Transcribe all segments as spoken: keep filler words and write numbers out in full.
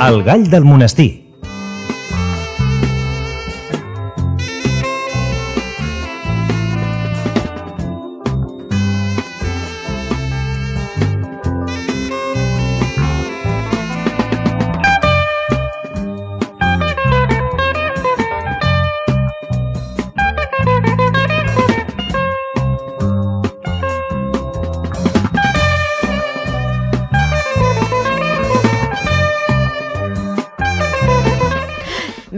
El gall del monestir.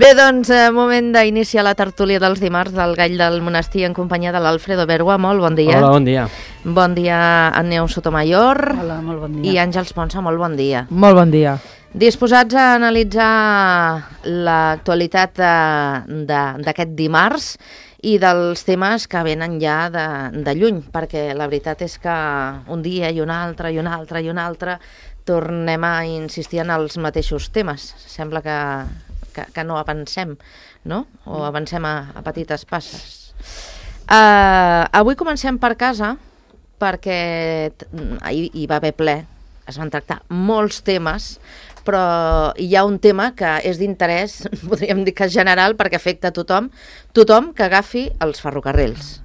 Bé, doncs, eh, moment d'iniciar la tertúlia dels dimarts del Gall del Monestir en companyia de l'Alfredo Bergua. Molt bon dia. Hola, bon dia. Bon dia, Anneu Sotomayor. Hola, molt bon dia. I Àngels Ponsa, molt bon dia. Molt bon dia. Disposats a analitzar l'actualitat d'aquest dimarts i dels temes que venen ja de, de lluny, perquè la veritat és que un dia i un altre i un altre i un altre tornem a insistir en els mateixos temes. Sembla que, que, que no avancem, no? O avancem a, a petites passes. Uh, avui comencem per casa, perquè ahir hi va haver ple, es van tractar molts temes, però hi ha un tema que és d'interès, podríem dir que general, perquè afecta a tothom, tothom que agafi els ferrocarrils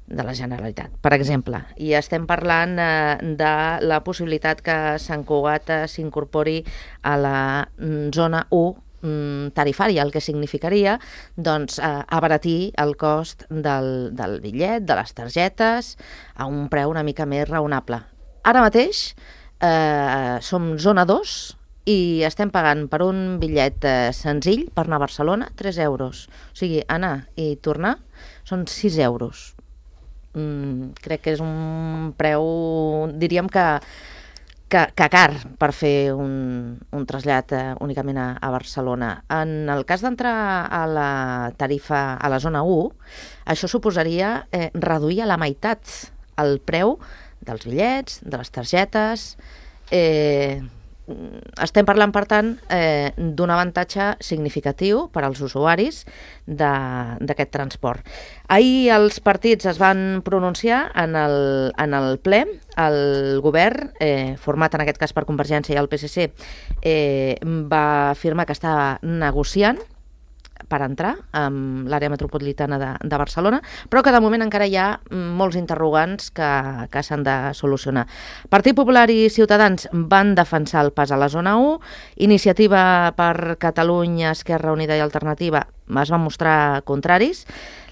de la Generalitat, per exemple. I estem parlant eh, de la possibilitat que Sant Cugat eh, s'incorpori a la zona u tarifària, el que significaria doncs, eh, abaratir el cost del, del bitllet, de les targetes, a un preu una mica més raonable. Ara mateix eh, som zona dos i estem pagant per un bitllet eh, senzill per anar a Barcelona tres euros. O sigui, anar i tornar són sis euros. Mm, crec que és un preu, diríem que Que, que car per fer un, un trasllat eh, únicament a, a Barcelona. En el cas d'entrar a la tarifa, a la zona u, això suposaria eh, reduir a la meitat el preu dels bitllets, de les targetes. Eh, estem parlant, per tant, eh, d'un avantatge significatiu per als usuaris d'aquest transport. Ahir els partits es van pronunciar en el, en el ple. El govern, eh, format en aquest cas per Convergència i el P S C, eh, va afirmar que estava negociant per entrar amb l'àrea metropolitana de, de Barcelona, però que de moment encara hi ha molts interrogants que, que s'han de solucionar. Partit Popular i Ciutadans van defensar el pas a la zona u, Iniciativa per Catalunya, Esquerra Unida i Alternativa es van mostrar contraris.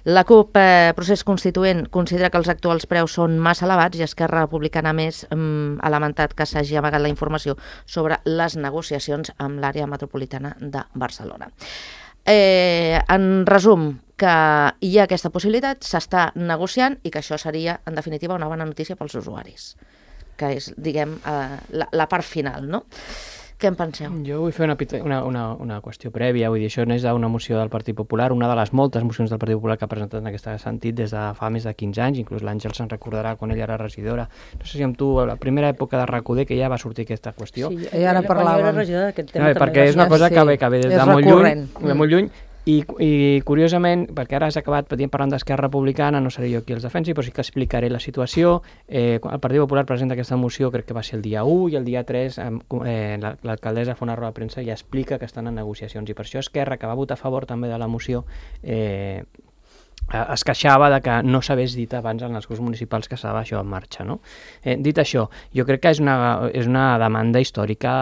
La CUP, eh, Procés Constituent, considera que els actuals preus són massa elevats i Esquerra Republicana més mm, ha lamentat que s'hagi amagat la informació sobre les negociacions amb l'àrea metropolitana de Barcelona. Eh, en resum, que hi ha aquesta possibilitat, s'està negociant i que això seria, en definitiva, una bona notícia pels usuaris, que és, diguem, eh, la, la part final, no? Què en penseu? Jo vull fer una, una, una, una qüestió prèvia, vull dir, això no és una moció del Partit Popular, una de les moltes mocions del Partit Popular que ha presentat en aquest sentit des de fa més de quinze anys, inclús l'Àngel se'n recordarà quan ella era regidora. No sé si amb tu, a la primera època de RAC U D, que ja va sortir aquesta qüestió. Sí, ja ara parlàvem. No, perquè és una cosa que ve, que ve des de molt lluny, de molt lluny. I, i curiosament, perquè ara has acabat parlant d'Esquerra Republicana, no seré jo qui els defensi, però sí que explicaré la situació. Eh, el Partit Popular presenta aquesta moció, crec que va ser el dia u, i el dia tres eh, l'alcaldessa fa una roda de premsa i explica que estan en negociacions. I per això Esquerra, que va votar a favor també de la moció, eh, es queixava de que no s'hagués dit abans en els grups municipals que estava això en marxa, no? Eh, dit això, jo crec que és una, és una demanda històrica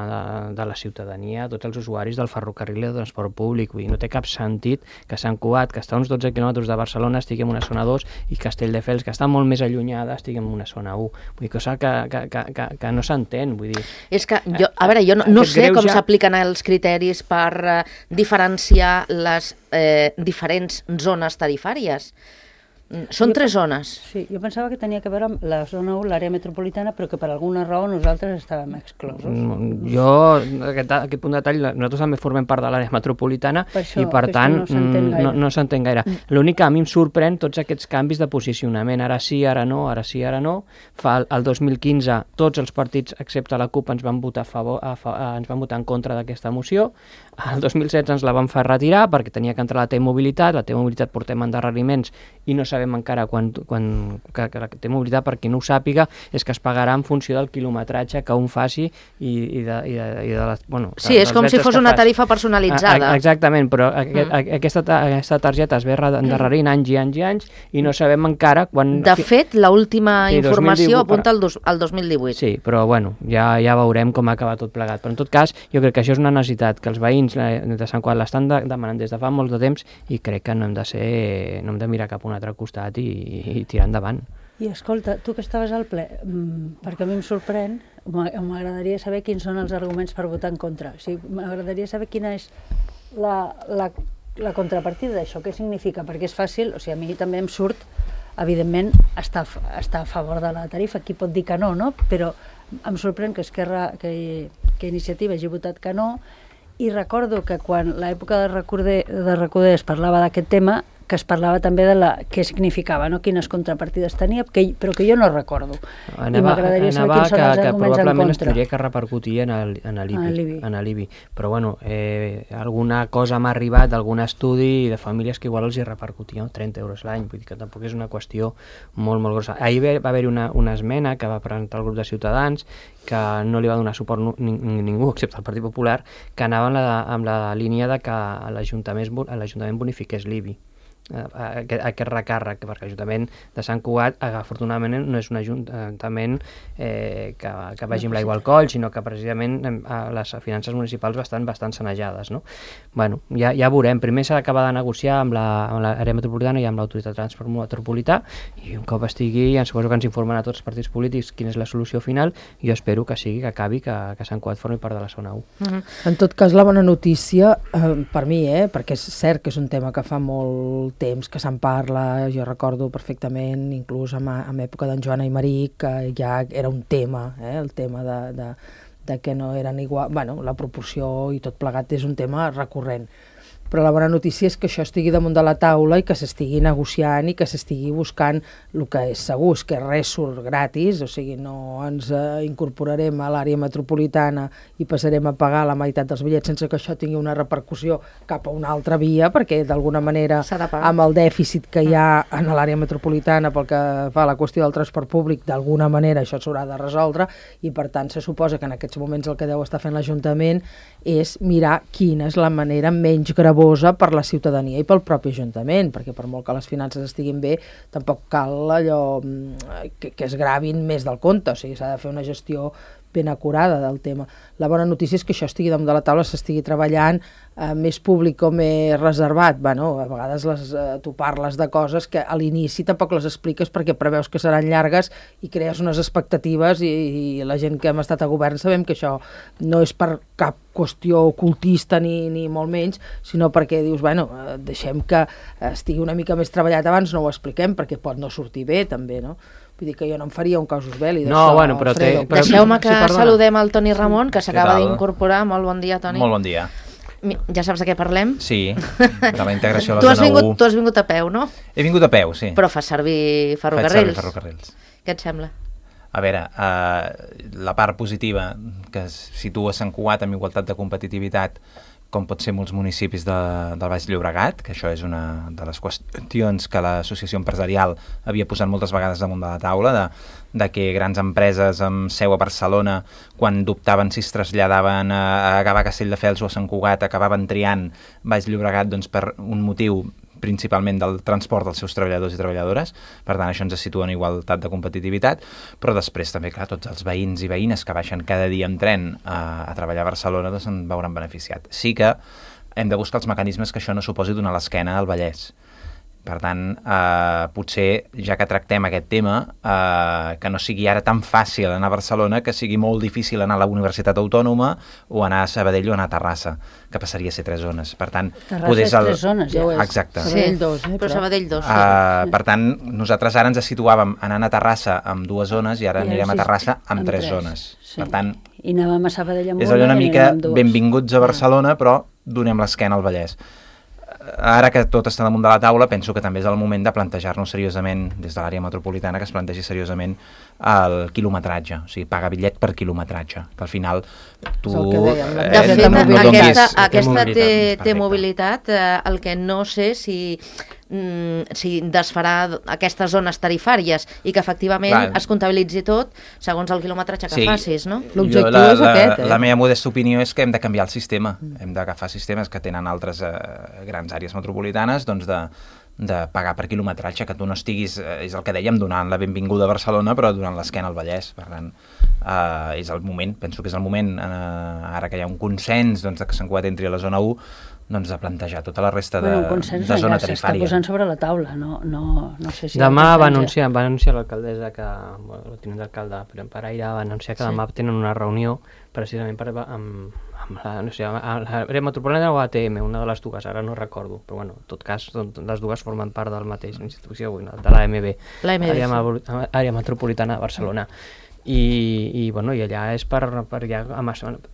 de, de la ciutadania, tots els usuaris del ferrocarril i del transport públic. Vull dir, no té cap sentit que Sant Cugat, que està a uns dotze quilòmetres de Barcelona, estigui en una zona dos, i Castelldefels, que està molt més allunyada, estigui en una zona u. Vull dir, cosa que, que, que, que, que no s'entén, vull dir... És que, jo, a veure, jo no, no sé com ja... s'apliquen els criteris per uh, diferenciar les eh, diferents zones tarifàries. Són jo, tres zones. Sí, jo pensava que tenia que veure amb la zona u, l'àrea metropolitana, però que per alguna raó nosaltres estàvem exclosos. Jo, aquest, aquest punt de detall, nosaltres també formem part de l'àrea metropolitana per això, i per tant no, no s'entén gaire. Mm. L'únic que a mi em sorprèn tots aquests canvis de posicionament, ara sí, ara no, ara sí, ara no. Fa el dos mil quinze tots els partits, excepte la CUP, ens van votar a favor, a, a, ens van votar en contra d'aquesta moció. El dos mil setze ens la van fer retirar perquè tenia que entrar la T-Mobilitat, la T-Mobilitat portem endarreriments i no s'ha sabem encara quan, quan, que, que la T-Mobilitat, per qui no ho sàpiga, és que es pagarà en funció del quilometratge que un faci i, i de, i de, i de les... Bueno, sí, és com si fos una tarifa personalitzada. A, a, exactament, però aquest, mm. aquesta, aquesta targeta es ve endarrerint anys i anys i anys i no sabem encara quan... De fet, l'última sí, informació apunta al, dos, al dos mil divuit. Sí, però bueno, ja, ja veurem com acaba tot plegat. Però en tot cas, jo crec que això és una necessitat que els veïns de Sant Cugat l'estan de, demanant des de fa molt de temps i crec que no hem de ser, no hem de mirar cap a un altre costat i, i tirar endavant. I escolta, tu que estaves al ple, perquè a mi em sorprèn, m'agradaria saber quins són els arguments per votar en contra. O sigui, m'agradaria saber quina és la, la, la contrapartida d'això, què significa, perquè és fàcil, o sigui, a mi també em surt, evidentment, estar, estar a favor de la tarifa, qui pot dir que no, no? Però em sorprèn que Esquerra, que, que Iniciativa hagi votat que no, i recordo que quan l'època de Recoder, de Recoder es parlava d'aquest tema, que es parlava també de la, què significava, no? Quines contrapartides tenia, que, però que jo no recordo. Anava, I m'agradaria saber quins són els que, arguments que probablement es tindria que repercutir en l'I B I. Però bueno, eh, alguna cosa m'ha arribat d'algun estudi de famílies que igual els hi repercutia no? trenta euros l'any, vull dir que tampoc és una qüestió molt, molt grossa. Ahir va haver-hi una, una esmena que va presentar el grup de Ciutadans que no li va donar suport ningú, excepte el Partit Popular, que anava amb la, amb la línia de que l'Ajuntament bonifiqués l'I B I. Aquest, aquest recàrrec, perquè l'Ajuntament de Sant Cugat, afortunadament, no és un ajuntament eh, que, que vagi amb l'aigua al coll, sinó que precisament eh, les finances municipals bastant, bastant sanejades. No? Bueno, ja, ja veurem. Primer s'ha d'acabar de negociar amb l'àrea metropolitana i amb l'autoritat de transport metropolità, i un cop estigui, ja suposo que ens informen a tots els partits polítics quina és la solució final, i jo espero que sigui, que acabi, que, que Sant Cugat formi part de la zona u. Mm-hmm. En tot cas, la bona notícia, eh, per mi, eh, perquè és cert que és un tema que fa molt temps que se'n parla, jo recordo perfectament, inclús en, en època d'en Joan Aymeric, que ja era un tema, eh, el tema de, de, de que no eren igual, bueno, la proporció i tot plegat és un tema recurrent. Però la bona notícia és que això estigui damunt de la taula i que s'estigui negociant i que s'estigui buscant el que és segur, és que res surt gratis, o sigui, no ens eh, incorporarem a l'àrea metropolitana i passarem a pagar la meitat dels bitllets sense que això tingui una repercussió cap a una altra via, perquè d'alguna manera amb el dèficit que hi ha en l'àrea metropolitana pel que fa a la qüestió del transport públic, d'alguna manera això s'haurà de resoldre, i per tant se suposa que en aquests moments el que deu estar fent l'Ajuntament és mirar quina és la manera menys gravosa per la ciutadania i pel propi Ajuntament, perquè per molt que les finances estiguin bé, tampoc cal allò que, que es gravin més del compte, o sigui, s'ha de fer una gestió ben acurada del tema. La bona notícia és que això estigui damunt de la taula, s'estigui treballant, eh, més públic o més reservat. Bueno, a vegades les, eh, tu parles de coses que a l'inici tampoc les expliques perquè preveus que seran llargues i crees unes expectatives, i, i la gent que hem estat a govern sabem que això no és per cap qüestió ocultista ni, ni molt menys, sinó perquè dius, bueno, eh, deixem que estigui una mica més treballat abans, no ho expliquem perquè pot no sortir bé també, no? Vull dir que jo no em faria un casus belli d'això. No, bueno, però té... Però... Deixeu-me que sí, saludem el Toni Ramon, que s'acaba d'incorporar. Molt bon dia, Toni. Molt bon dia. Ja saps de què parlem? Sí, de la integració a la zona u. Tu has vingut a peu, no? He vingut a peu, sí. Però fas servir ferrocarrils. Faig servir ferrocarrils. Què et sembla? A veure, eh, la part positiva que situa Sant Cugat amb igualtat de competitivitat, com pot ser molts municipis de, del Baix Llobregat, que això és una de les qüestions que l'associació empresarial havia posat moltes vegades damunt de la taula, de, de que grans empreses amb seu a Barcelona, quan dubtaven si es traslladaven a, a acabar a Castelldefels o a Sant Cugat, acabaven triant Baix Llobregat doncs, per un motiu principalment del transport dels seus treballadors i treballadores. Per tant, això ens situa en igualtat de competitivitat, però després també, clar, tots els veïns i veïnes que baixen cada dia amb tren a, a treballar a Barcelona doncs en veuran beneficiat. Sí que hem de buscar els mecanismes que això no suposi donar l'esquena al Vallès. Per tant, eh, potser, ja que tractem aquest tema, eh, que no sigui ara tan fàcil anar a Barcelona, que sigui molt difícil anar a la Universitat Autònoma o anar a Sabadell o anar a Terrassa, que passaria a ser tres zones. Per tant, Terrassa és el... tres zones, ja ho és. Exacte. Sabadell dos, eh, però Sabadell dos. Sí. Uh, per tant, nosaltres ara ens situàvem anant a Terrassa amb dues zones i ara I anirem a Terrassa amb, amb tres, tres zones. Sí. Per tant, i anàvem a Sabadell amb és allò una mica benvinguts a Barcelona, però donem l'esquena al Vallès. Ara que tot està damunt de la taula, penso que també és el moment de plantejar-nos seriosament, des de l'àrea metropolitana, que es plantegi seriosament el quilometratge, o sigui, pagar bitllet per quilometratge, que al final tu... Eh, de fet, no aquesta, aquesta T-mobilitat, eh, el que no sé si... mm, si desfarà aquestes zones tarifàries i que efectivament Clar. es comptabilitzi tot segons el quilometratge que sí. facis, no? L'objectiu la, és aquest, eh? La meva modesta opinió és que hem de canviar el sistema. Mm. Hem d'agafar sistemes que tenen altres eh, grans àrees metropolitanes, doncs de, de pagar per quilometratge, que tu no estiguis, eh, és el que dèiem, donant la benvinguda a Barcelona, però donant l'esquena al Vallès. Per tant, eh, és el moment, penso que és el moment, eh, ara que hi ha un consens doncs, que Sant Cugat entri a la zona u, doncs de plantejar tota la resta de, bueno, de zona ja tarifària. s'està posant sobre la taula, no, no, no sé si... Demà va anunciar, va anunciar l'alcaldessa que, bueno, el tinent d'alcalde, Paraire, va anunciar que sí. demà tenen una reunió precisament per, amb, amb la, no sé, l'àrea metropolitana o A T M, una de les dues, ara no recordo, però bueno, en tot cas, les dues formen part del mateix institució, de l'A M B, l'àrea metropolitana de Barcelona. I, i, bueno, i allà és per, per ja, amb,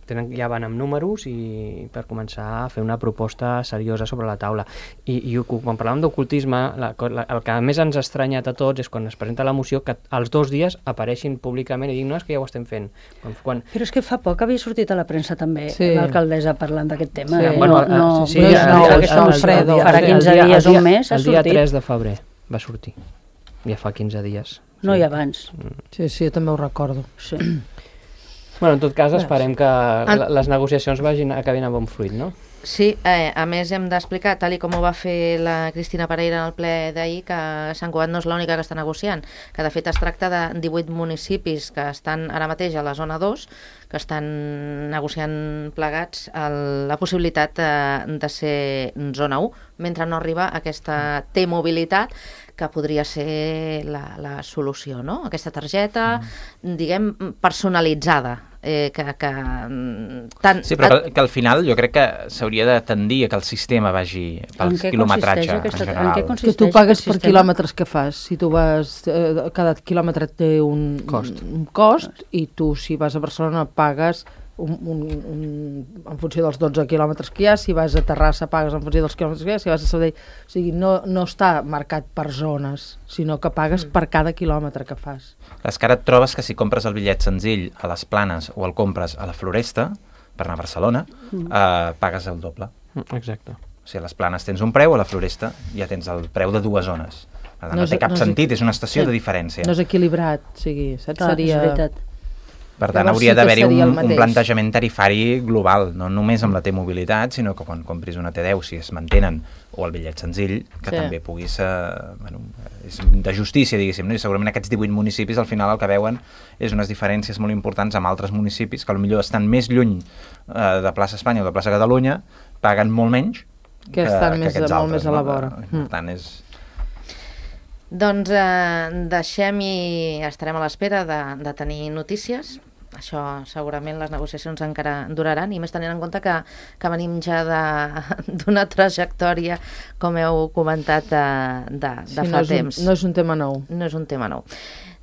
tenen, ja van amb números i per començar a fer una proposta seriosa sobre la taula. I, i quan parlàvem d'ocultisme, el que més ens ha estranyat a tots és quan es presenta la moció que els dos dies apareixin públicament i dic, no, és que ja ho estem fent. Quan, quan... Però és que fa poc havia sortit a la premsa també sí. l'alcaldessa parlant d'aquest tema. Sí. Bueno, no, no, sí, no, no, no, no, Alfredo. Farà quinze dies o un mes ha sortit. El dia tres de febrer va sortir. Ja fa quinze dies. No, i abans. Sí, sí, jo també ho recordo. Sí. Bueno, en tot cas, esperem que les negociacions vagin, acabin a bon fruit, no? Sí, eh, a més hem d'explicar, tal i com ho va fer la Cristina Paraire en el ple d'ahir, que Sant Cugat no és l'única que està negociant, que de fet es tracta de divuit municipis que estan ara mateix a la zona dos, que estan negociant plegats el, la possibilitat de, de ser zona u, mentre no arriba aquesta T-mobilitat, que podria ser la, la solució, no? Aquesta targeta, mm. diguem, personalitzada. Eh, que, que, tant, sí, però que, que al final jo crec que s'hauria de tendir a que el sistema vagi pel quilometratge aquesta, en general. En que tu pagues per quilòmetres que fas. Si tu vas, eh, cada quilòmetre té un cost. un cost i tu, si vas a Barcelona, pagues un, un, un, en funció dels dotze quilòmetres que hi ha, si vas a Terrassa pagues en funció dels quilòmetres que hi ha, si vas a Sabadell... O sigui, no, no està marcat per zones, sinó que pagues mm. per cada quilòmetre que fas. És que ara et trobes que si compres el bitllet senzill a les Planes o el compres a la Floresta, per anar a Barcelona, mm. eh, pagues el doble. Exacte. O sigui, a les Planes tens un preu, a la Floresta ja tens el preu de dues zones. Per tant, no, no té cap no sentit, és, és una estació sí, de diferència. No és equilibrat, o sigui, saps? Clar, seria... és veritat. Per tant, hauria sí d'haver-hi un, un plantejament tarifari global, no només amb la T-mobilitat, sinó que quan compris una T deu, si es mantenen, o el bitllet senzill, que sí. també puguis... Eh, bueno, és de justícia, diguéssim, no? I segurament aquests divuit municipis al final el que veuen és unes diferències molt importants amb altres municipis que potser estan més lluny eh, de plaça Espanya o de plaça Catalunya, paguen molt menys que, que estan més, que molt altres, més a la vora. No? Per tant, és... Doncs eh, deixem i estarem a l'espera de, de tenir notícies. Això segurament les negociacions encara duraran i més tenint en compte que, que venim ja d'una trajectòria, com heu comentat, de, de, de sí, fa no temps. Un, no és un tema nou. No és un tema nou.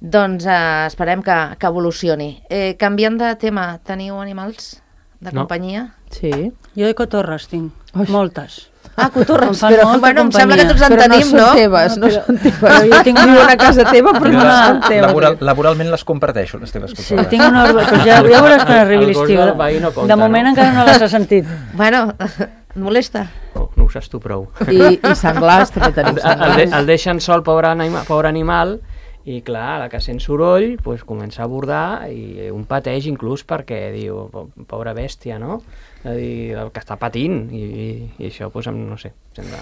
Doncs eh, esperem que, que evolucioni. Eh, canviant de tema, teniu animals de no. companyia? Sí. Jo de cotorres tinc, Ui. moltes. Ah, cotorres. Però, bueno, em sembla que tots en però tenim, no? no? Són teves, no, no són teves. Però jo tinc una casa teva, però no són teves. Laboral, laboralment les comparteixo, les teves cotorres. Sí, tinc una... Però ja, ja veuràs quan arribi l'estiu. No compta, de moment no? encara no les has sentit. Bueno, et molesta? No, no ho saps tu prou. I, i senglars, també tenim senglars. El, el, el deixen sol, pobre, anima, pobre animal, i clar, a la que sent soroll, pues, comença a bordar i un pateix inclús perquè diu, pobra bèstia, no? És a dir, el que està patint, i, i, i això, pues, no sé, sembla...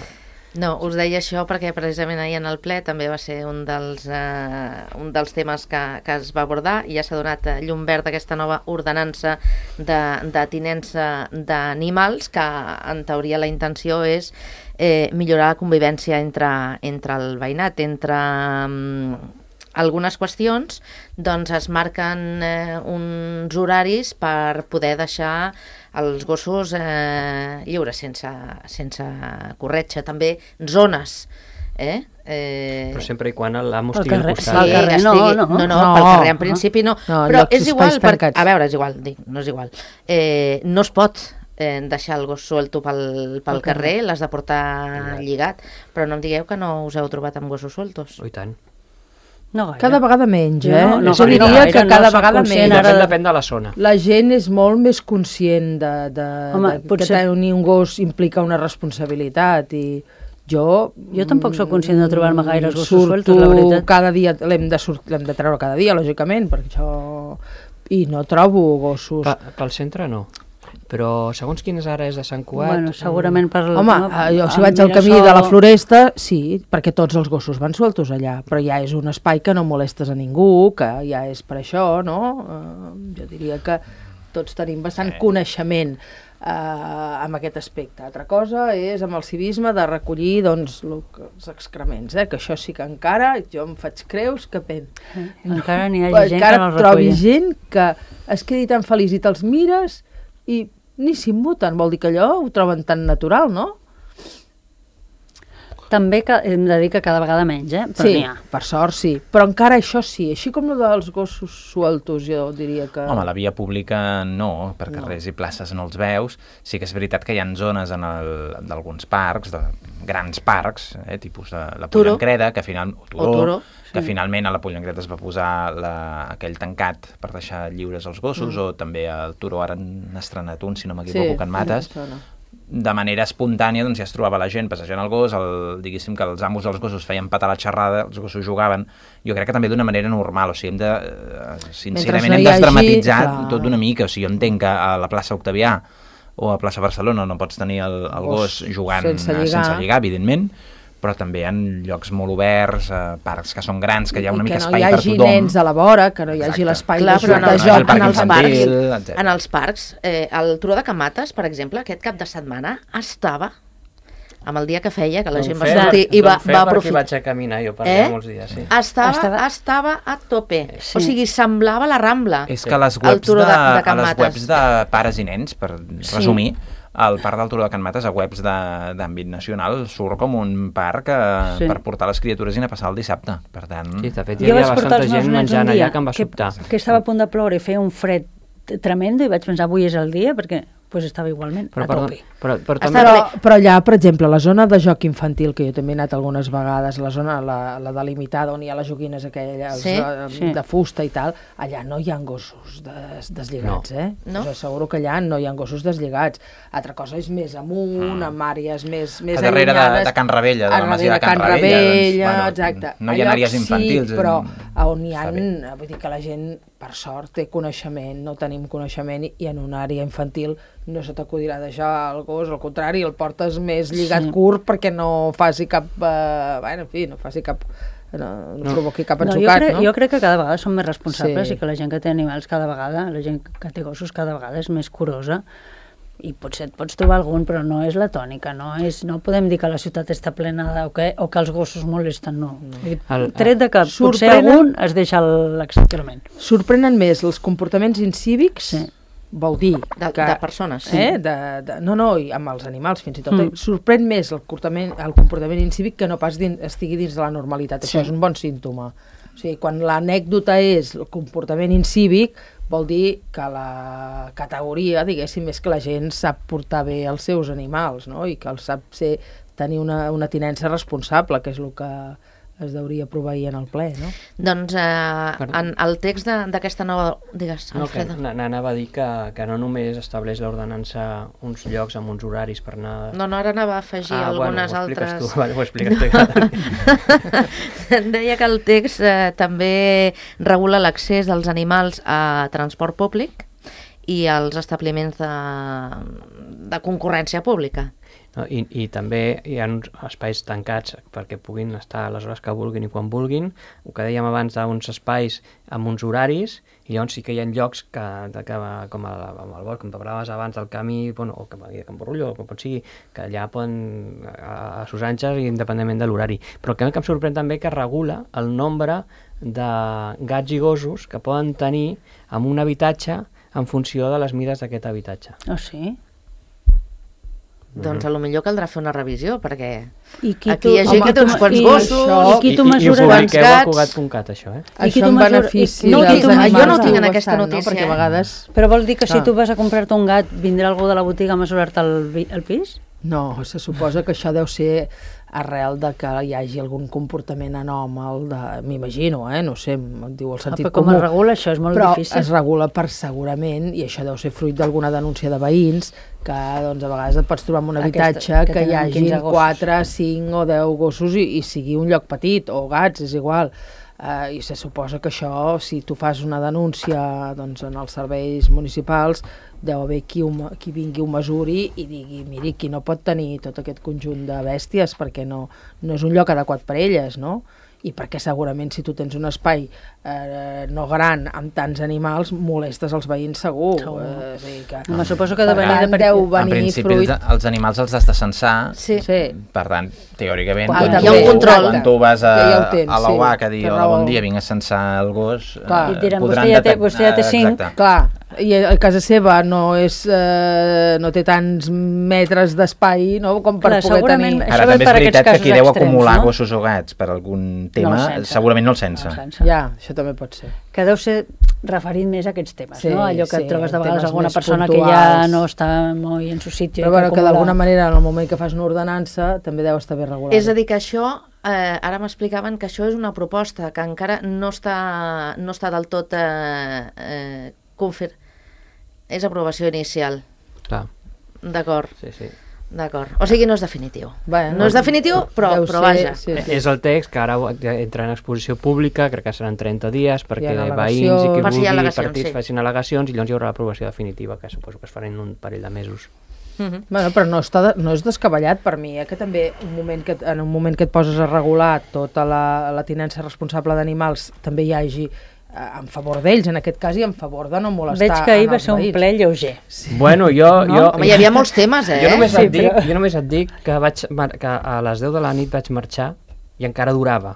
No, us deia això perquè precisament ahir en el ple també va ser un dels, eh, un dels temes que, que es va abordar i ja s'ha donat llum verd aquesta nova ordenança de, de tinença d'animals que en teoria la intenció és eh, millorar la convivència entre, entre el veïnat, entre... Mm, algunes qüestions, doncs es marquen eh, uns horaris per poder deixar els gossos eh, lliures, sense, sense corretja. També zones, eh? Eh... Però sempre i quan l'amo estigui al costat. Sí, carrer, no, estigui... no. no, no, no, pel carrer en principi no. no Però és igual, per... tancats. a veure, és igual, dic, no és igual. Eh, no es pot eh, deixar el gos suelto pel, pel carrer, l'has de portar lligat, però no em digueu que no us heu trobat amb gossos sueltos. Oh, i tant. No gaire. Cada vegada menys, eh? No, no, jo diria no gaire, que cada no vegada menys. Depèn, ara... depèn de la zona. La gent és molt més conscient de, de, Home, de potser... que tenir un gos implica una responsabilitat i Jo, jo tampoc sóc conscient de trobar-me gaires gossos sueltos, la veritat. Surto cada dia, l'hem de, de treure cada dia, lògicament, perquè això... I no trobo gossos. Pa, pel centre no, però segons quines àrees de Sant Cugat... Bueno, segurament per... Home, jo si vaig al camí de la Floresta, sí, perquè tots els gossos van sueltos allà, però ja és un espai que no molestes a ningú, que ja és per això, no? Uh, jo diria que tots tenim bastant sí. coneixement Uh, amb aquest aspecte. Altra cosa és amb el civisme de recollir doncs, els excrements, eh? Que això sí que encara jo em faig creus que pen... Eh, encara n'hi ha gent encara que no el trobi recull. gent que es quedi tan feliç i te'ls mires i ni s'immuten, vol dir que allò ho troben tan natural, no? També que, hem de dir que cada vegada menys, eh? Però sí, n'hi ha. Per sort sí, però encara això sí, així com el dels gossos sueltos jo diria que... Home, la via pública no, per carrers no. i places no els veus. Sí que és veritat que hi ha zones en d'alguns parcs, de grans parcs, eh, tipus de la Pollancreda, que, final, Turó, o Turó, que sí. finalment a la Pollancreda es va posar la, aquell tancat per deixar lliures els gossos, mm. o també al Turó ara han estrenat un, si no m'equivoco, sí, que en Mates. De manera espontània doncs, ja es trobava la gent passejant el gos, el, diguéssim que els amos dels gossos feien patar la xerrada, els gossos jugaven, jo crec que també d'una manera normal, o sigui, hem de, sincerament no hem desdramatitzar hagi, tot una mica, o sigui, jo entenc que a la plaça Octavià o a plaça Barcelona no pots tenir el, el gos jugant sense lligar. sense lligar, evidentment, però també hi ha llocs molt oberts, eh, parcs que són grans, que hi ha una mica espai per tothom. Que no hi hagi nens a la vora, que no hi hagi l'espai de, de, de joc en els parcs. En els parcs, eh, el Turó de Can Mates, per exemple, aquest cap de setmana estava amb el dia que feia, que la gent va sortir i va, va aprofitar. Vaig a caminar jo per allà molts dies, sí. Estava, estava... estava a tope, sí. O sigui, semblava la Rambla. És que a les webs de, de, de, a les webs de pares i nens, per sí. resumir, el parc del Turó de Can Mates a webs d'àmbit nacional surt com un parc eh, sí. per portar les criatures i anar a passar el dissabte. Per tant... Sí, de fet, hi havia bastanta gent menjant allà que em va que, sobtar. Que estava a punt de ploure i feia un fred tremendo i vaig pensar, avui és el dia, perquè pues, estava igualment però, a tope. Però, però, però, però, però allà, per exemple, la zona de joc infantil, que jo també he anat algunes vegades, la zona, la, la delimitada, on hi ha les joguines aquelles sí? Sí. de fusta i tal, allà no hi ha gossos des, deslligats, no. eh? No? Us asseguro que allà no hi ha gossos deslligats. Altra cosa és més amunt, mm. amb àrees més, més a darrere de, de Can Rebella, de la masia de Can, Can Rebella, Rebella doncs, exacte. No hi ha àrees infantils. Sí, però on hi ha, vull dir que la gent, per sort, té coneixement, no tenim coneixement, i en una àrea infantil no se t'acudirà deixar el gos, al contrari, el portes més lligat sí. curt perquè no faci cap, eh, bueno, en fi, no faci cap, no, no, no. provoqui cap ensucat, no, jo crec, no? Jo crec que cada vegada som més responsables sí. i que la gent que té animals cada vegada, la gent que té gossos cada vegada és més curosa, i potser et pots trobar algun, però no és la tònica, no és, no podem dir que la ciutat està plena de, o, que, o que els gossos molesten, no. no. El, Tret de que potser algun es deixa l'excrement. Sorprenen més els comportaments incívics, sí. vol dir de, que, de persones, sí. eh, de, de, no, no, i amb els animals fins i tot, mm. sorprèn més el comportament, el comportament incívic que no pas din, estigui dins de la normalitat, sí. Això és un bon símptoma. O sigui, quan l'anècdota és el comportament incívic, vol dir que la categoria, diguéssim, és que la gent sap portar bé els seus animals, no? I que els sap ser, tenir una, una tinença responsable, que és el que es deuria proveir en el ple, no? Doncs eh, en el text d'aquesta nova... Digues, no, Alfredo. Que anava a dir que, que no només estableix l'ordenança uns llocs amb uns horaris per anar... No, no, ara anava a afegir ah, algunes bueno, ho altres... Tu, vale, ho expliques tu. Deia que el text eh, també regula l'accés dels animals a transport públic i als establiments de, de concurrència pública. No, i, i també hi ha uns espais tancats perquè puguin estar a les hores que vulguin i quan vulguin, el que dèiem abans d'uns espais amb uns horaris, i llavors sí que hi ha llocs que, que com el, amb el bosc, com parlaves abans del camí, bueno, o com a Can Borrullo, o com pot sigui, que allà poden a, a sus anxes independentment de l'horari. Però el que em sorprèn també que regula el nombre de gats i gossos que poden tenir en un habitatge en funció de les mides d'aquest habitatge. Ah, sí? Doncs a lo millor caldrà fer una revisió, perquè I aquí tu, hi ha gent home, que té uns quants i gossos... Això, i qui tu mesures I, i ho publiqueu a Cugat punt cat, això, eh? I això en benefici no, dels animals. Jo no tinc en aquesta notícia, no? Perquè a vegades... Però vol dir que si tu vas a comprar-te un gat, vindrà algú de la botiga a mesurar-te el, el pis? No, se suposa que això deu ser arrel de que hi hagi algun comportament anòmal, m'imagino, eh? No sé, em diu el sentit ah, però comú. Com es regula això? És molt però difícil. Però es regula per segurament, i això deu ser fruit d'alguna denúncia de veïns, que doncs, a vegades et pots trobar en un habitatge Aquesta, que, que hi hagi quatre, cinc o deu gossos i, i sigui un lloc petit, o gats, és igual. Uh, I se suposa que això, si tu fas una denúncia doncs, en els serveis municipals, deu haver qui, ho, qui vingui ho mesuri i digui, miri, qui no pot tenir tot aquest conjunt de bèsties perquè no, no és un lloc adequat per elles, no? I perquè segurament si tu tens un espai eh, no gran amb tants animals molestes els veïns segur. segur. Eh, és a dir que, Me suposo que de venir de deu venir en principi fruit... els, els animals els has de censar, sí. Sí. Per tant, teòricament, Quan, hi ha un control. Quan tu vas a, tens, a la U A C a sí, dir hola, bon dia, vinc a censar el gos, Clar. I et diran, podran vostè ja té- detectar- vostè ja té cinc. Exacte. Clar, i a casa seva no és eh, no té tants metres d'espai, no?, com per Clar, poder segurament tenir... això Ara ve també és per aquests veritat que casos qui deu extrems, acumular no? gossos o gats per algun tema, No el censa. segurament no el sensa. No el sensa. Ja, això també pot ser. Que deu ser referint més a aquests temes, Sí, no? Allò que sí, et trobes de temes vegades alguna més persona que ja puntuals. no està molt en su sitio. Però bueno, que d'alguna manera en el moment que fas una ordenança també deu estar bé regulat. És a dir, que això, eh, ara m'explicaven que això és una proposta que encara no està, no està del tot eh, eh, confir... És aprovació inicial. Clar, D'acord, sí, sí. d'acord. O sigui, no és definitiu. Bueno, no és definitiu, però, deu però ser, vaja. sí, sí. És el text que ara entra en exposició pública, crec que seran trenta dies perquè Hi ha veïns i qui Per si hi ha vulgui al·legacions, partits sí. facin al·legacions i llavors hi haurà l'aprovació definitiva, que suposo que es farà en un parell de mesos. Mhm. Bueno, però no, està de, no és descabellat per mi, eh? Que també un moment que, en un moment que et poses a regular tota la, la tinença responsable d'animals també hi hagi eh, en favor d'ells, en aquest cas, i en favor de no molestar Veig que ahir en va els ser un veïns. ple lleuger. Sí. Bueno, jo... No? jo Home, hi havia molts temes, eh? Jo només, Sí, et dic, però- jo només et dic que, vaig, mar- que a les deu de la nit vaig marxar i encara durava.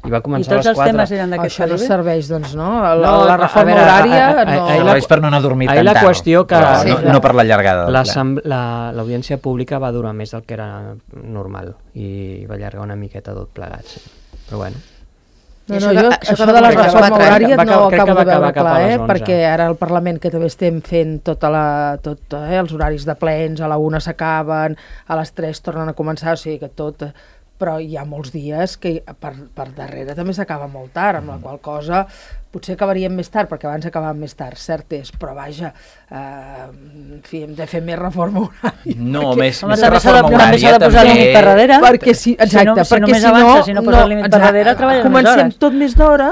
I va I començar tots a les els quatre. temes eren d'aquest Això no calibre? serveix, doncs, no? La, No, la a reforma veure, horària a- a- a- no... ahir la- Serveix per no anar a dormir ahir tan la tard, qüestió que- però Sí, no, clar. no per la llargada del ple. L'assem- la- L'audiència pública va durar més del que era normal i va allargar una miqueta tot plegat, sí. Però bueno. No, I no, això jo, que- això, això que de va la començar a reforma les quatre, horària va no acabar- crec que acabo va de veure acabar cap a clar, les eh? onze. Perquè ara al Parlament, que també estem fent tota la, tot, eh? els horaris de plens, a la una s'acaben, a les tres tornen a començar, o sigui que tot... Però hi ha molts dies que per, per darrere també s'acaba molt tard, amb la qual cosa potser acabaríem més tard, perquè abans acabàvem més tard, cert és, però vaja, eh, en fi, hem de fer més reforma horària. No, perquè- més, Home, més que també s'ha de, reforma també s'ha horària, de posar límit per darrere. Perquè si, exacte, si, no, si perquè només si no, avances, si no poses límit per exacte, darrere, treballes més comencem hores. tot més d'hora,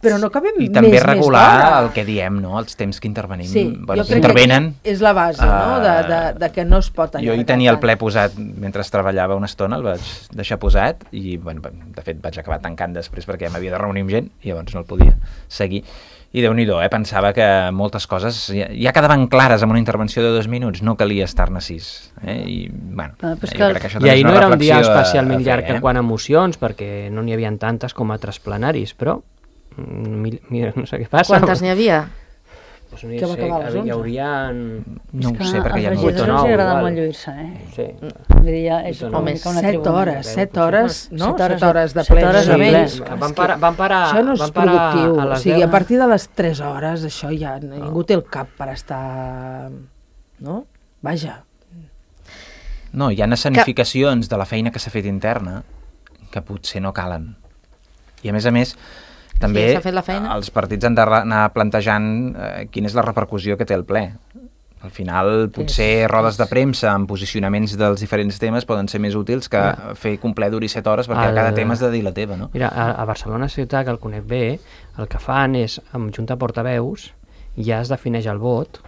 però no acabem I més, també més regular d'hora. el que diem, no? Els temps que intervenim. Sí, bueno, jo crec intervenen. que és la base, no?, de, de, de que no es pot allargar Jo hi tenia el tant. ple posat mentre treballava una estona, el vaig deixar posat i, bueno, de fet, vaig acabar tancant després perquè m'havia de reunir amb gent i llavors no el podia seguir. I Déu-n'hi-do, eh? Pensava que moltes coses ja, ja quedaven clares amb una intervenció de dos minuts, no calia estar-ne sis. Eh? I, bueno, Ah, però és jo que- crec que això I també és ahir una no era un dia reflexió a- especialment a fer, llarg eh? en quant a emocions, perquè no n'hi havia tantes com altres plenaris, però mm, mira, mira, no sé què passa. Quantes n'hi havia? Pues no hi Que va sé, acabar a les hi onze. hauria... No ho És que sé, perquè ja als no... vuit o regidors nou, els agrada igual. molt lluir-se, eh? Sí. Vull dir, ja és Vuit o com nou. una Home, tribuna. set hores, set hores, no? Set hores Set hores de set plens hores de de ple. veïns. Van parar, van parar, Això no és van parar productiu, a o les sigui, deu. a partir de les tres hores això ja ningú té el cap per estar... no? Vaja. No, hi ha escenificacions de la feina que s'ha fet interna que potser no calen. I a més a més, també Sí, s'ha fet la feina. els partits han d'anar plantejant eh, quina és la repercussió que té el ple. Al final, potser rodes de premsa amb posicionaments dels diferents temes poden ser més útils que fer que un ple duri set hores perquè El- cada tema has de dir la teva, no? Mira, a, a Barcelona ciutat, que el conec bé, el que fan és, amb junta portaveus, ja es defineix el vot